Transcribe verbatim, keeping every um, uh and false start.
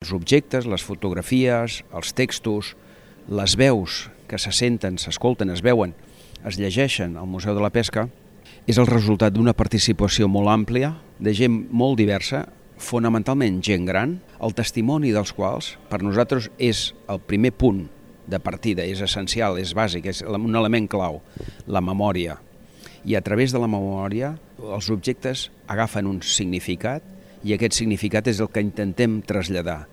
Els objectes, les fotografies, els textos, les veus que se senten, s'escolten, es veuen, es llegeixen al Museu de la Pesca, és el resultat d'una participació molt àmplia, de gent molt diversa, fonamentalment gent gran, el testimoni dels quals per nosaltres és el primer punt de partida, és essencial, és bàsic, és un element clau, la memòria. I a través de la memòria els objectes agafen un significat i aquest significat és el que intentem traslladar.